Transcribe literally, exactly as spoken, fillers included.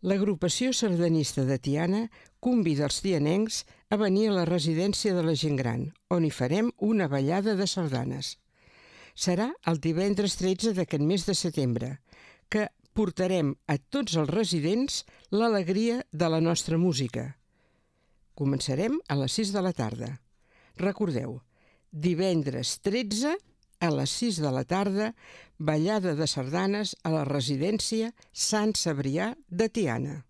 L'agrupació sardanista de Tiana convida els tianencs a venir a la residència de la gent gran, on hi farem una ballada de sardanes. Serà el divendres tretze d'aquest mes de setembre, que portarem a tots els residents l'alegria de la nostra música. Començarem a les sis de la tarda. Recordeu, divendres tretze a les sis de la tarda, ballada de sardanes a la residència Sant Cebrià de Tiana.